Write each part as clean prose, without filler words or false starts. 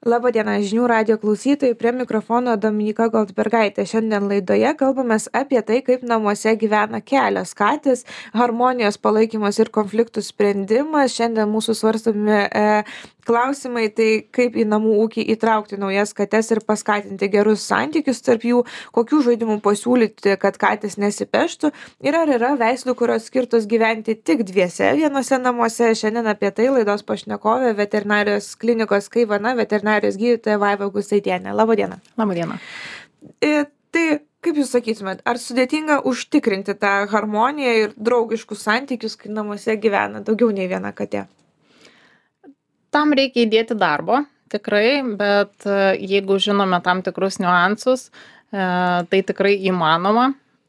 Labadiena, žinių radijo klausytojai, prie mikrofono Dominyka Goldbergaitė. Šiandien laidoje kalbamės apie tai, kaip namuose gyvena kelios katės, harmonijos palaikymas ir konfliktų sprendimas. Šiandien mūsų svarstomi klausimai, tai kaip į namų ūkį įtraukti naujas kates ir paskatinti gerus santykius tarp jų, kokių žaidimų pasiūlyti, kad katės nesipeštų ir ar yra veislių, kurios skirtos gyventi tik dviese vienose namuose. Šiandien apie tai laidos pašnekovė veterinarijos klinikos Kaivana veterinarijos gydytoja Vaiva Gustaitienė. Labadiena. Labadiena. Tai kaip jūs sakytumėt, ar sudėtinga užtikrinti tą harmoniją ir draugiškus santykius, kai namuose gyvena daugiau nei viena katė? Tam reikia įdėti darbo, tikrai, bet jeigu žinome tam tikrus niuansus, tai tikrai įmanoma.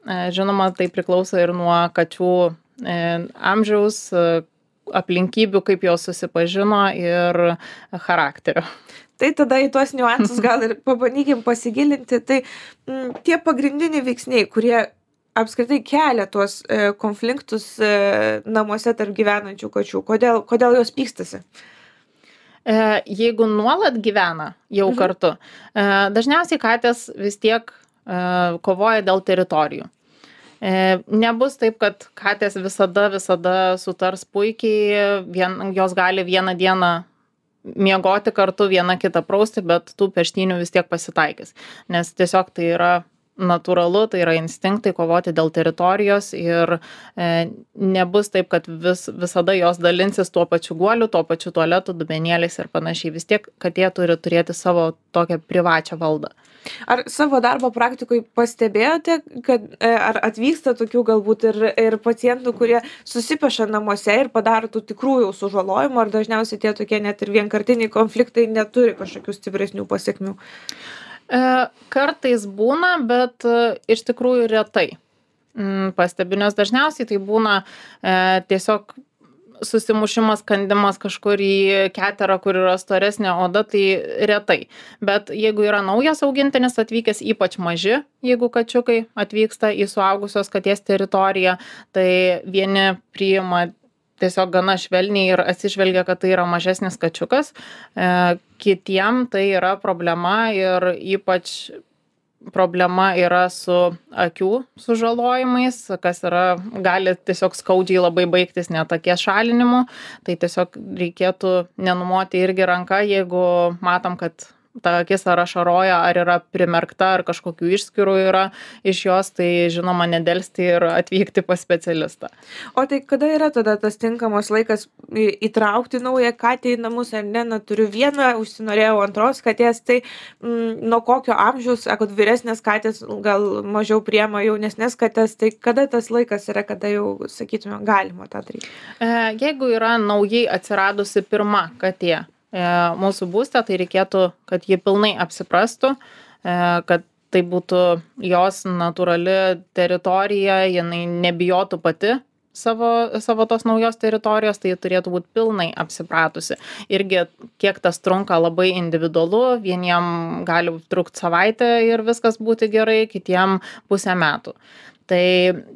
Žinoma, tai priklauso ir nuo kačių amžiaus, aplinkybių, kaip jos susipažino ir charakterio. Tai tada į tuos niuansus gal ir pabandykim pasigilinti. Tai tie pagrindiniai veiksniai, kurie apskritai kelia tuos konfliktus namuose tarp gyvenančių kačių, kodėl jos pykstasi? Jeigu nuolat gyvena jau kartu, dažniausiai katės vis tiek kovoja dėl teritorijų. Nebus taip, kad katės visada sutars puikiai, jos gali vieną dieną miegoti kartu, vieną kitą prausti, bet tų peštynių vis tiek pasitaikys. Nes tiesiog tai yra natūralu, tai yra instinktai kovoti dėl teritorijos ir nebus taip, kad visada jos dalinsis tuo pačiu guoliu, tuo pačiu tualetu, dubenėliais ir panašiai. Vis tiek katė turi turėti savo tokią privačią valdą. Ar savo darbo praktikoje pastebėjote, kad ar atvyksta tokių galbūt ir pacientų, kurie susipeša namuose ir padaro tų tikrųjų sužalojimų, ar dažniausiai tie tokie net ir vienkartiniai konfliktai neturi kažkokių stipresnių pasiekmių? Kartais būna, bet iš tikrųjų retai pastebiu, nes dažniausiai tai būna tiesiog susimušimas, kandimas kažkur į keterą, kur yra storesnė oda, tai retai. Bet jeigu yra naujas augintinis atvykęs, ypač maži, jeigu kačiukai atvyksta į suaugusios katės teritoriją, tai vieni priima tiesiog gana švelniai ir atsižvelgia, kad tai yra mažesnis kačiukas. Kitiem tai yra problema ir ypač problema yra su akių sužalojimais, kas gali tiesiog skaudžiai labai baigtis net akies šalinimu. Tai tiesiog reikėtų nenumoti irgi ranką, jeigu matom, kad ta akis ar ašaroja, ar yra primerkta, ar kažkokių išskyrų yra iš jos, tai žinoma nedelsti ir atvykti pas specialistą. O tai kada yra tada tas tinkamas laikas įtraukti naują katę į namus, ar ne? Turiu vieną, užsinorėjau antros katės, tai nuo kokio amžiaus, sakot, vyresnės katės gal mažiau priema jaunesnės katės, tai kada tas laikas yra, kada jau, sakytume, galima tą daryti? Jeigu yra naujai atsiradusi pirma katė mūsų būste, tai reikėtų, kad ji pilnai apsiprastų, kad tai būtų jos natūrali teritorija, jinai nebijotų pati savo tos naujos teritorijos, tai turėtų būti pilnai apsipratusi. Irgi kiek tas trunka labai individualu, vieniem gali trukti savaitę ir viskas būti gerai, kitiem pusę metų. Tai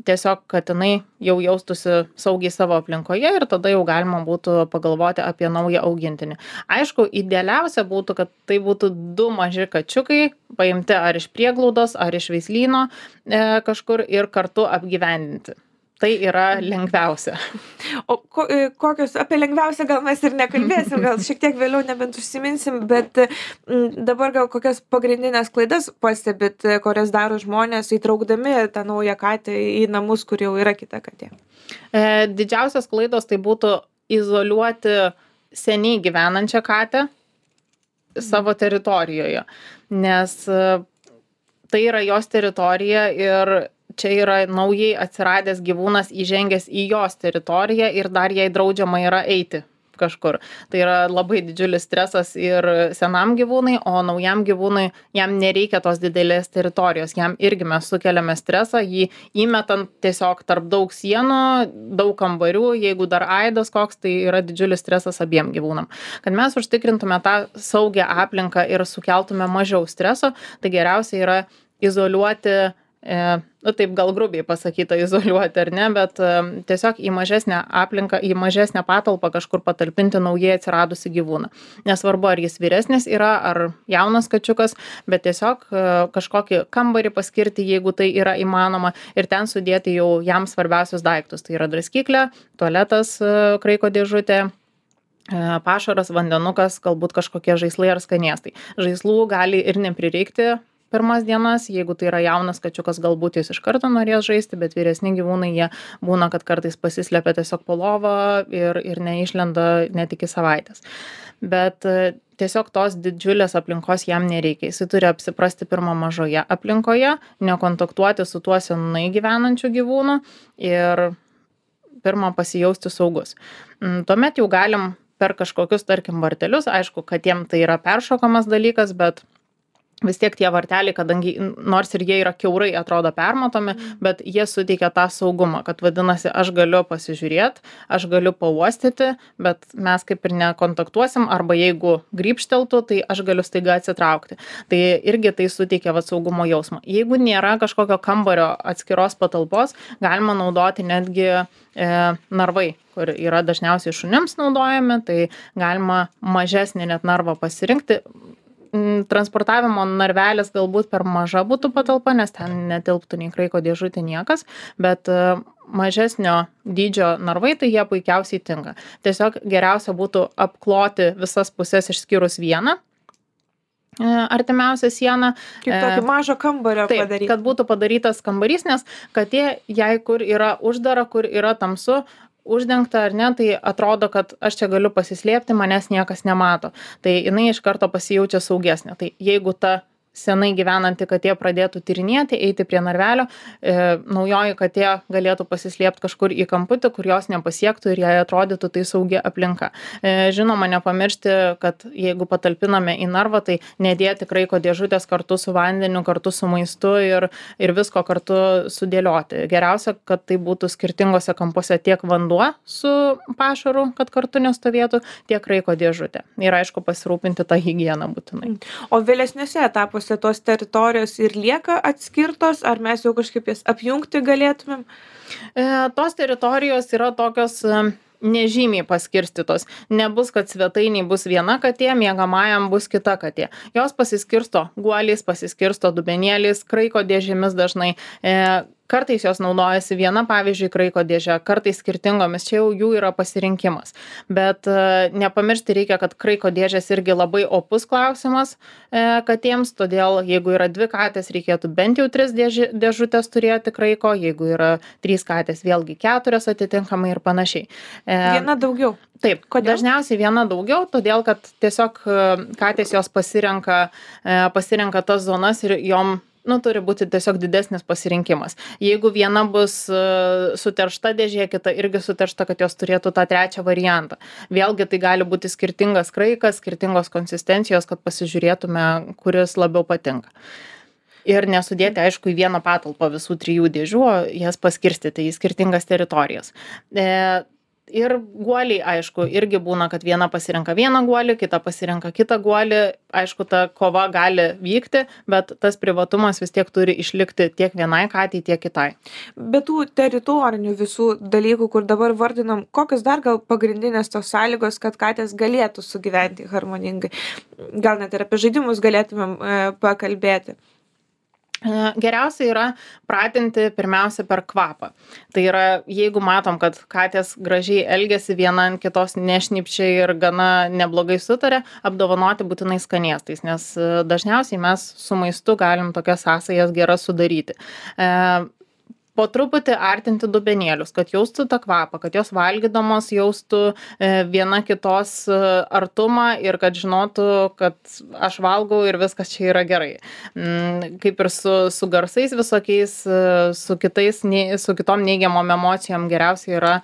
tiesiog, kad jinai jau jaustųsi saugiai savo aplinkoje ir tada jau galima būtų pagalvoti apie naują augintinį. Aišku, idealiausia būtų, kad tai būtų 2 maži kačiukai, paimti ar iš prieglaudos, ar iš veislyno kažkur ir kartu apgyvendinti. Tai yra lengviausia. O kokios, apie lengviausią gal mes ir nekalbėsim, gal šiek tiek vėliau nebent užsiminsim, bet dabar gal kokias pagrindinės klaidas pastebit, kurias daro žmonės įtraukdami tą naują katę į namus, kur jau yra kita katė? Didžiausios klaidos tai būtų izoliuoti seniai gyvenančią katę savo teritorijoje, nes tai yra jos teritorija ir čia yra naujai atsiradęs gyvūnas įžengęs į jos teritoriją ir dar jai draudžiama yra eiti kažkur. Tai yra labai didžiulis stresas ir senam gyvūnui, o naujam gyvūnui jam nereikia tos didelės teritorijos. Jam irgi mes sukeliame stresą, jį įmetant tiesiog tarp daug sienų, daug kambarių, jeigu dar aidas koks, tai yra didžiulis stresas abiem gyvūnam. Kad mes užtikrintume tą saugią aplinką ir sukeltume mažiau streso, tai geriausia yra izoliuoti taip gal grubiai pasakyta izoliuoti ar ne, bet tiesiog į mažesnę aplinką, į mažesnę patalpą kažkur patalpinti naujai atsiradusi gyvūną. Nesvarbu, ar jis vyresnis yra, ar jaunas kačiukas, bet tiesiog kažkokį kambarį paskirti, jeigu tai yra įmanoma, ir ten sudėti jau jam svarbiausius daiktus. Tai yra draskyklė, tualetas, kraiko dėžutė, pašaras, vandenukas, galbūt kažkokie žaislai ar skanėstai. Žaislų gali ir neprireikti pirmas dienas, jeigu tai yra jaunas kačiukas, galbūt jis iš karto norės žaisti, bet vyresni gyvūnai jie būna, kad kartais pasislepia tiesiog po lovą ir neišlenda net iki savaitės. Bet tiesiog tos didžiulės aplinkos jam nereikia. Jis turi apsiprasti pirmą mažoje aplinkoje, nekontaktuoti su tuo senai gyvenančiu gyvūnu ir pirmą pasijausti saugus. Tuomet jau galim per kažkokius, tarkim, vartelius, aišku, kad jiem tai yra peršokamas dalykas, bet vis tiek tie varteliai, kadangi nors ir jie yra kiaurai atrodo permatomi, bet jie suteikia tą saugumą, kad vadinasi, aš galiu pasižiūrėti, aš galiu pauostyti, bet mes kaip ir nekontaktuosim, arba jeigu grybšteltų, tai aš galiu staiga atsitraukti. Tai irgi tai suteikia saugumo jausmą. Jeigu nėra kažkokio kambario atskiros patalpos, galima naudoti netgi narvai, kur yra dažniausiai šunims naudojami, tai galima mažesnį net narvą pasirinkti. Transportavimo narvelis galbūt per maža būtų patalpa, nes ten netilptų nei kraiko dėžutė niekas, bet mažesnio dydžio narvai, tai jie puikiausiai tinka. Tiesiog geriausia būtų apkloti visas pusės išskyrus vieną artimiausią sieną. Kaip tokį mažą kambario padaryti. Kad būtų padarytas kambarys, nes katė, jei kur yra uždara, kur yra tamsu, uždengta ar ne, tai atrodo, kad aš čia galiu pasislėpti, manęs niekas nemato. Tai jinai iš karto pasijaučia saugesnė. Tai jeigu ta senai gyvenanti katė pradėtų tyrinėti, eiti prie narvelio, naujoji katė galėtų pasislėpti kažkur į kamputį, kur jos nepasiektų ir jai atrodytų tai saugi aplinka. Žinoma, nepamiršti, kad jeigu patalpiname į narvą, tai nedėti kraiko dėžutės kartu su vandeniu, kartu su maistu ir visko kartu sudėlioti. Geriausia, kad tai būtų skirtingose kampuose tiek vanduo su pašaru, kad kartu nestovėtų, tiek kraiko dėžutė. Ir aišku, pasirūpinti tą higieną būtinai. O vėlesniuose etapuose tos teritorijos ir lieka atskirtos, ar mes jau kažkaip jas apjungti galėtumėm? Tos teritorijos yra tokios nežymiai paskirstytos. Nebus, kad svetainiai bus viena katė, miegamajam bus kita katė. Jos pasiskirsto guoliais, pasiskirsto dubenėliais, kraiko dėžėmis dažnai. Kartais jos naudojasi viena, pavyzdžiui, kraiko dėžė, kartais skirtingomis, čia jau jų yra pasirinkimas. Bet nepamiršti reikia, kad kraiko dėžės irgi labai opus klausimas katėms, todėl jeigu yra 2 katės, reikėtų bent jau 3 dėžutės turėti kraiko, jeigu yra 3 katės, vėlgi 4 atitinkamai ir panašiai. Viena daugiau. Taip, Kodėl? Dažniausiai viena daugiau, todėl kad tiesiog katės jos pasirenka tas zonas ir jom turi būti tiesiog didesnis pasirinkimas. Jeigu viena bus suteršta dėžė, kita irgi suteršta, kad jos turėtų tą trečią variantą. Vėlgi tai gali būti skirtingas kraikas, skirtingos konsistencijos, kad pasižiūrėtume, kuris labiau patinka. Ir nesudėti, aišku, į vieną patalpą visų 3 dėžių, o jas paskirstyti į skirtingas teritorijas. Ir guoliai, aišku, irgi būna, kad viena pasirenka vieną guolį, kita pasirenka kitą guolį. Aišku, ta kova gali vykti, bet tas privatumas vis tiek turi išlikti tiek vienai katei, tiek kitai. Bet tų teritorinių visų dalykų, kur dabar vardinam, kokios dar gal pagrindinės tos sąlygos, kad katės galėtų sugyventi harmoningai? Gal net ir apie žaidimus galėtumėm pakalbėti. Geriausia yra pratinti pirmiausia per kvapą. Tai yra, jeigu matom, kad katės gražiai elgiasi, viena ant kitos nešnypčia ir gana neblogai sutarė, apdovanoti būtinai skanėstais, nes dažniausiai mes su maistu galim tokias sąsajas geras sudaryti. Po truputį artinti dubenėlius, kad jaustų tą kvapą, kad jos valgydamos jaustų viena kitos artumą ir kad žinotų, kad aš valgau ir viskas čia yra gerai. Kaip ir su garsais visokiais, su kitom neigiamom emocijom geriausia yra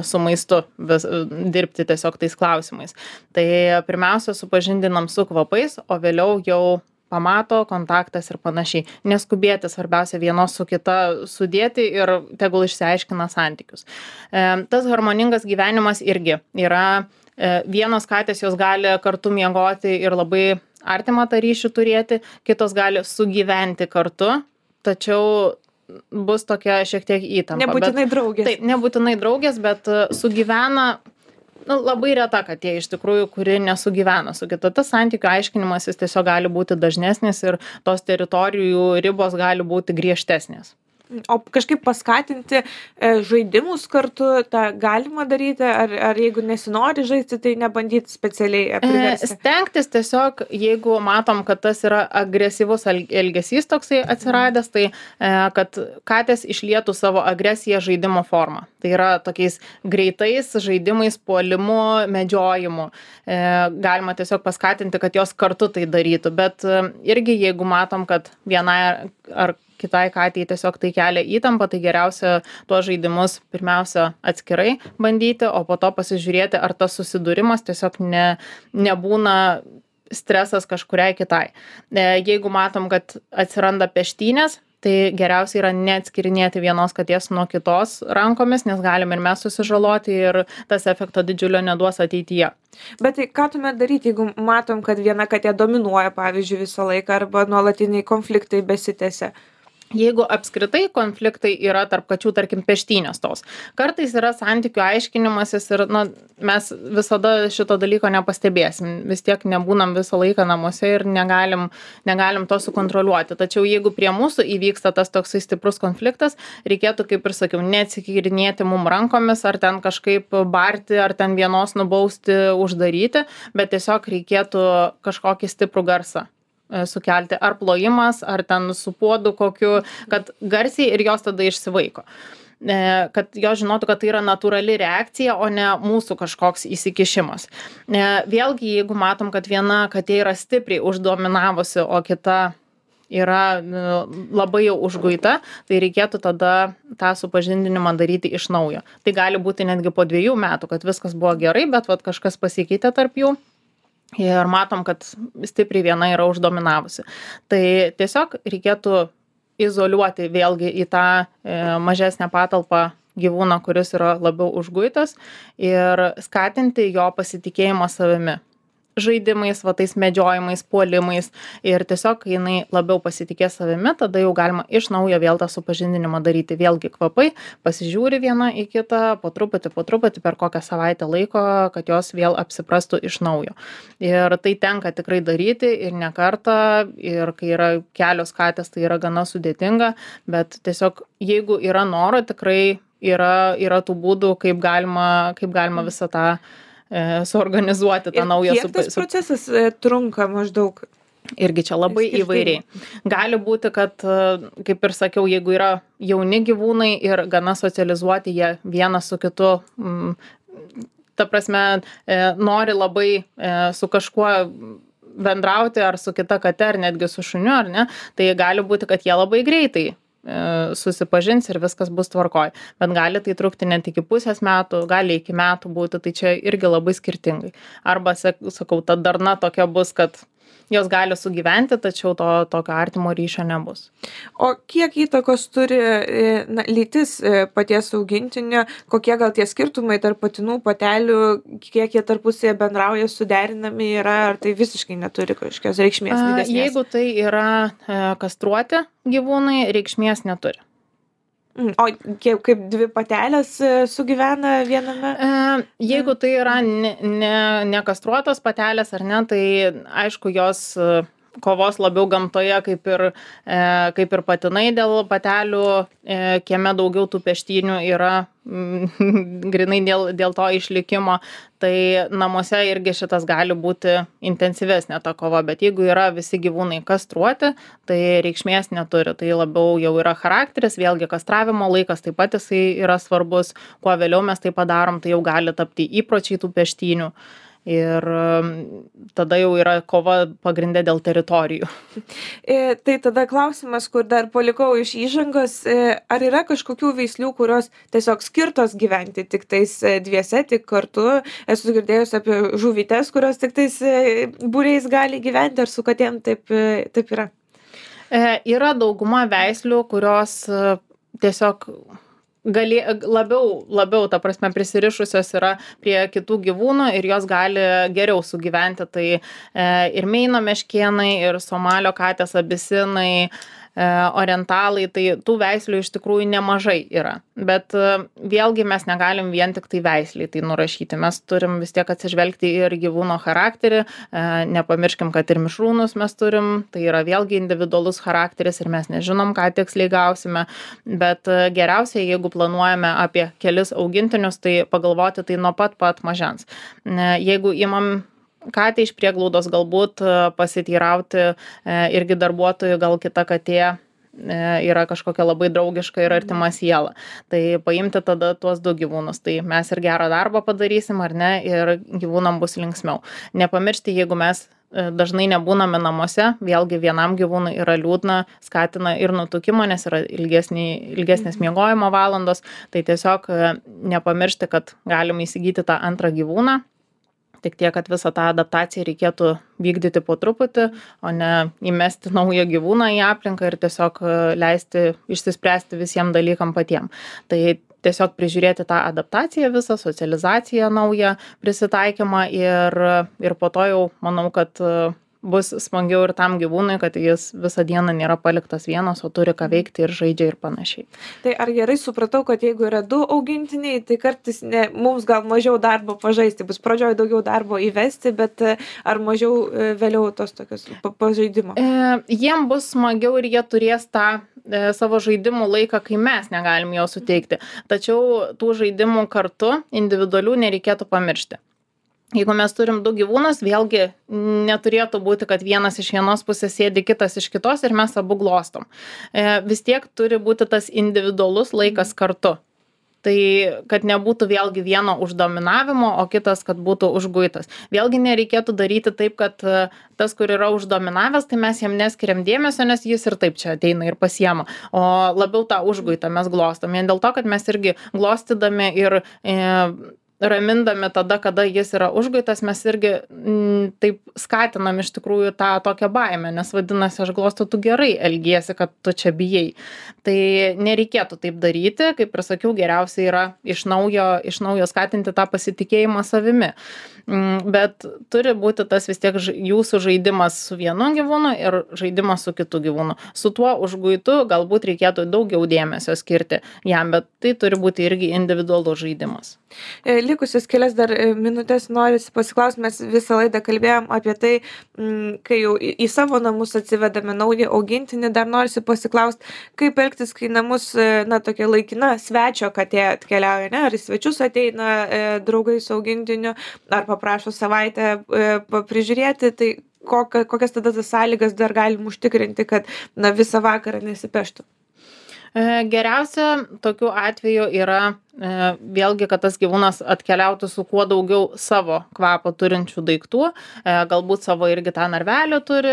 su maistu dirbti tiesiog tais klausimais. Tai pirmiausia supažindinam su kvapais, o vėliau jau pamato, kontaktas ir panašiai. Neskubėti, svarbiausia vienos su kita sudėti ir tegul išsiaiškina santykius. Tas harmoningas gyvenimas irgi yra, vienos katės jos gali kartu miegoti ir labai artimą tą ryšį turėti, kitos gali sugyventi kartu, tačiau bus tokia šiek tiek įtampa. Nebūtinai draugės. Taip, nebūtinai draugės, bet sugyvena, labai reta katė iš tikrųjų, kuri nesugyvena su kita. Tas santykių aiškinimas jis tiesiog gali būti dažnesnis ir tos teritorijų ribos gali būti griežtesnės. O kažkaip paskatinti žaidimus kartu, tą galima daryti, ar jeigu nesinori žaisti, tai nebandyti specialiai priversti? Stengtis tiesiog, jeigu matom, kad tas yra agresyvus elgesys toksai atsiradęs, tai kad katės išlietų savo agresiją žaidimo formą. Tai yra tokiais greitais žaidimais, puolimu, medžiojimu. Galima tiesiog paskatinti, kad jos kartu tai darytų, bet irgi jeigu matom, kad vienai ar kitai katei tiesiog tai kelia įtampą, tai geriausia tuos žaidimus pirmiausia atskirai bandyti, o po to pasižiūrėti, ar tas susidūrimas tiesiog nebūna stresas kažkuriai kitai. Jeigu matom, kad atsiranda peštynės, tai geriausia yra neatskirinėti vienos katės nuo kitos rankomis, nes galim ir mes susižaloti ir tas efekto didžiulio neduos ateityje. Bet tai ką tuomet daryti, jeigu matom, kad viena katė dominuoja, pavyzdžiui, visą laiką arba nuolatiniai konfliktai besitęsia? Jeigu apskritai konfliktai yra tarp kačių, tarkim, peštynės tos. Kartais yra santykių aiškinimasis ir mes visada šito dalyko nepastebėsim. Vis tiek nebūnam visą laiką namuose ir negalim to sukontroliuoti. Tačiau jeigu prie mūsų įvyksta tas toksai stiprus konfliktas, reikėtų, kaip ir sakiau, neatsikirinėti mum rankomis, ar ten kažkaip barti, ar ten vienos nubausti, uždaryti, bet tiesiog reikėtų kažkokį stiprų garsą sukelti, ar plojimas, ar ten su puodu kokiu, kad garsiai ir jos tada išsivaiko. Kad jos žinotų, kad tai yra natūrali reakcija, o ne mūsų kažkoks įsikišimas. Vėlgi, jeigu matom, kad viena katė yra stipriai uždominavusi, o kita yra labai jau užguita, tai reikėtų tada tą supažindinimą daryti iš naujo. Tai gali būti netgi po 2 metų, kad viskas buvo gerai, bet kažkas pasikeitė tarp jų. Ir matom, kad stipriai viena yra uždominavusi. Tai tiesiog reikėtų izoliuoti vėlgi į tą mažesnę patalpą gyvūną, kuris yra labiau užguitas ir skatinti jo pasitikėjimą savimi. Žaidimais, tais medžiojimais, puolimais ir tiesiog, kai jinai labiau pasitikės savimi, tada jau galima iš naujo vėl tą supažindinimą daryti. Vėlgi kvapai, pasižiūri viena į kitą, po truputį per kokią savaitę laiko, kad jos vėl apsiprastų iš naujo. Ir tai tenka tikrai daryti ir ne kartą, ir kai yra kelios katės, tai yra gana sudėtinga, bet tiesiog jeigu yra noro, tikrai yra tų būdų, kaip galima visą tą suorganizuoti tą naują. Kiek tas procesas trunka maždaug? Irgi čia labai įvairiai. Gali būti, kad, kaip ir sakiau, jeigu yra jauni gyvūnai ir gana socializuoti, jie vienas su kitu, ta prasme, nori labai su kažkuo bendrauti, ar su kita kate, ar netgi su šuniu, ar ne, tai gali būti, kad jie labai greitai susipažins ir viskas bus tvarkoj. Bet gali tai trukti net iki pusės metų, gali iki metų būti, tai čia irgi labai skirtingai. Arba, sakau, ta darna tokia bus, kad jos gali sugyventi, tačiau tokio artimo ryšio nebus. O kiek įtakos turi lytis paties augintinio, kokie gal tie skirtumai tarp patinų, patelių, kiek jie tarpusėje bendrauja, suderinami yra, ar tai visiškai neturi kažkokios reikšmės didesnės? Jeigu tai yra kastruoti gyvūnai, reikšmės neturi. O kaip 2 patelės sugyvena viename? Jeigu tai yra nekastruotos patelės ar ne, tai aišku, jos kovos labiau gamtoje, kaip ir patinai dėl patelių, kieme daugiau tų peštynių yra grinai dėl to išlikimo, tai namuose irgi šitas gali būti intensyvesnė ta kova, bet jeigu yra visi gyvūnai kastruoti, tai reikšmės neturi, tai labiau jau yra charakteris, vėlgi kastravimo laikas taip pat jisai yra svarbus, kuo vėliau mes tai padarom, tai jau gali tapti įpročiai tų peštynių. Ir tada jau yra kova pagrindė dėl teritorijų. Tai tada klausimas, kur dar palikau iš įžangos, ar yra kažkokių veislių, kurios tiesiog skirtos gyventi tik tais dviese, tik kartu? Esu girdėjus apie žuvytes, kurios tik tais būriais gali gyventi, ar su katėm taip yra? Yra dauguma veislių, kurios tiesiog labiau, ta prasme, prisirišusios yra prie kitų gyvūnų ir jos gali geriau sugyventi. Tai ir Meino meškėnai, ir Somalio katės, abisinai, orientalai, tai tų veislių iš tikrųjų nemažai yra. Bet vėlgi mes negalim vien tik tai veisliai tai nurašyti. Mes turim vis tiek atsižvelgti ir gyvūno charakterį. Nepamirškim, kad ir mišrūnus mes turim, tai yra vėlgi individualus charakteris ir mes nežinom, ką tiksliai gausime. Bet geriausia, jeigu planuojame apie kelis augintinius, tai pagalvoti tai nuo pat mažens. Jeigu imam katę iš prieglaudos, galbūt pasiteirauti irgi darbuotojų, gal kita katė yra kažkokia labai draugiška ir artima siela. Tai paimti tada tuos 2 gyvūnus. Tai mes ir gerą darbą padarysim, ar ne, ir gyvūnam bus linksmiau. Nepamiršti, jeigu mes dažnai nebūname namuose, vėlgi vienam gyvūnui yra liūdna, skatina ir nutukimą, nes yra ilgesnės miegojimo valandos. Tai tiesiog nepamiršti, kad galim įsigyti tą antrą gyvūną. Tik tiek, kad visą tą adaptaciją reikėtų vykdyti po truputį, o ne įmesti naują gyvūną į aplinką ir tiesiog leisti išsispręsti visiems dalykam patiem. Tai tiesiog prižiūrėti tą adaptaciją visą, socializaciją naują, prisitaikymą ir po to jau manau, kad bus smagiau ir tam gyvūnui, kad jis visą dieną nėra paliktas vienas, o turi ką veikti ir žaidžia ir panašiai. Tai ar gerai supratau, kad jeigu yra 2 augintiniai, tai kartais mums gal mažiau darbo pažaisti, bus pradžioje daugiau darbo įvesti, bet ar mažiau vėliau tos tokios pažaidimo? Jiem bus smagiau ir jie turės tą savo žaidimų laiką, kai mes negalim jo suteikti. Tačiau tų žaidimų kartu individualių nereikėtų pamiršti. Jeigu mes turim 2 gyvūnus, vėlgi neturėtų būti, kad vienas iš vienos pusės sėdi, kitas iš kitos ir mes abu glostom. Vis tiek turi būti tas individualus laikas kartu. Tai kad nebūtų vėlgi vieno uždominavimo, o kitas, kad būtų užguitas. Vėlgi nereikėtų daryti taip, kad tas, kur yra uždominavęs, tai mes jam neskiriam dėmesio, nes jis ir taip čia ateina ir pasiema. O labiau tą užguitą mes glostom. Vien dėl to, kad mes irgi glostydami ir ramindami tada, kada jis yra užguitas, mes irgi taip skatinam iš tikrųjų tą tokią baimę, nes vadinasi, aš glostau, tu gerai elgiesi, kad tu čia bijai. Tai nereikėtų taip daryti, kaip ir sakiau, geriausia yra iš naujo skatinti tą pasitikėjimą savimi. Bet turi būti tas vis tiek jūsų žaidimas su vienu gyvūnu ir žaidimas su kitu gyvūnu. Su tuo užguitu galbūt reikėtų daugiau dėmesio skirti jam, bet tai turi būti irgi individualus žaidimas. Likusius kelias dar minutės norisi pasiklausti, mes visą laidą kalbėjom apie tai, kai jau į savo namus atsivedame naują augintinį, dar norisi pasiklausti, kaip elgtis, kai namus, tokia laikina svečio katė atkeliauja, ne? Ar į svečius ateina draugai su augintiniu, ar paprašo savaitę prižiūrėti, tai kokias tada tas sąlygas dar galim užtikrinti, kad visą vakarą nesipeštų? Geriausia tokiu atveju yra vėlgi, kad tas gyvūnas atkeliautų su kuo daugiau savo kvapą turinčių daiktų, galbūt savo irgi tą narvelį turi,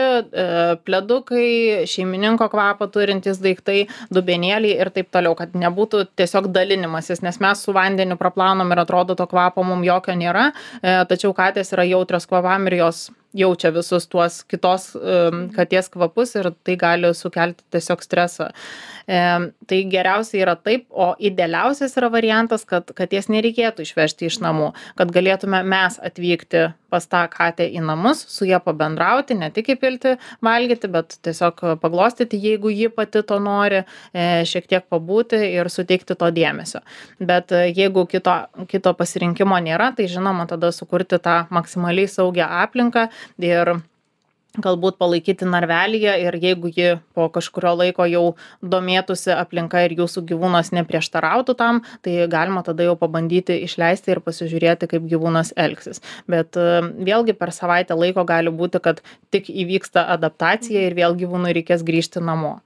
pledukai, šeimininko kvapą turintys daiktai, dubenėliai ir taip toliau, kad nebūtų tiesiog dalinimasis, nes mes su vandeniu praplaunam ir atrodo to kvapo mums jokio nėra, tačiau katės yra jautrios kvapam ir jos jaučia visus tuos kitos katės kvapus ir tai gali sukelti tiesiog stresą. Tai geriausia yra taip, o idealiausias yra variantas, kad katės nereikėtų išvežti iš namų, kad galėtume mes atvykti pas tą katę į namus, su ja pabendrauti, ne tik įpilti valgyti, bet tiesiog paglostyti, jeigu ji pati to nori, šiek tiek pabūti ir suteikti to dėmesio. Bet jeigu kito pasirinkimo nėra, tai žinoma tada sukurti tą maksimaliai saugią aplinką ir galbūt palaikyti narvelyje ir jeigu ji po kažkurio laiko jau domėtųsi aplinka ir jūsų gyvūnas neprieštarautų tam, tai galima tada jau pabandyti išleisti ir pasižiūrėti, kaip gyvūnas elgsis. Bet vėlgi per savaitę laiko gali būti, kad tik įvyksta adaptacija ir vėl gyvūnui reikės grįžti namo.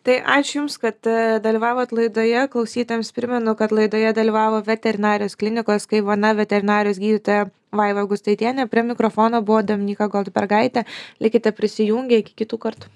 Tai ačiū Jums, kad dalyvavot laidoje. Klausytojams primenu, kad laidoje dalyvavo veterinarijos klinikos Kaivana veterinarijos gydytoja Vaiva Gustaitienė. Prie mikrofono buvo Dominyka Goldbergaitė. Likite prisijungę, iki kitų kartų.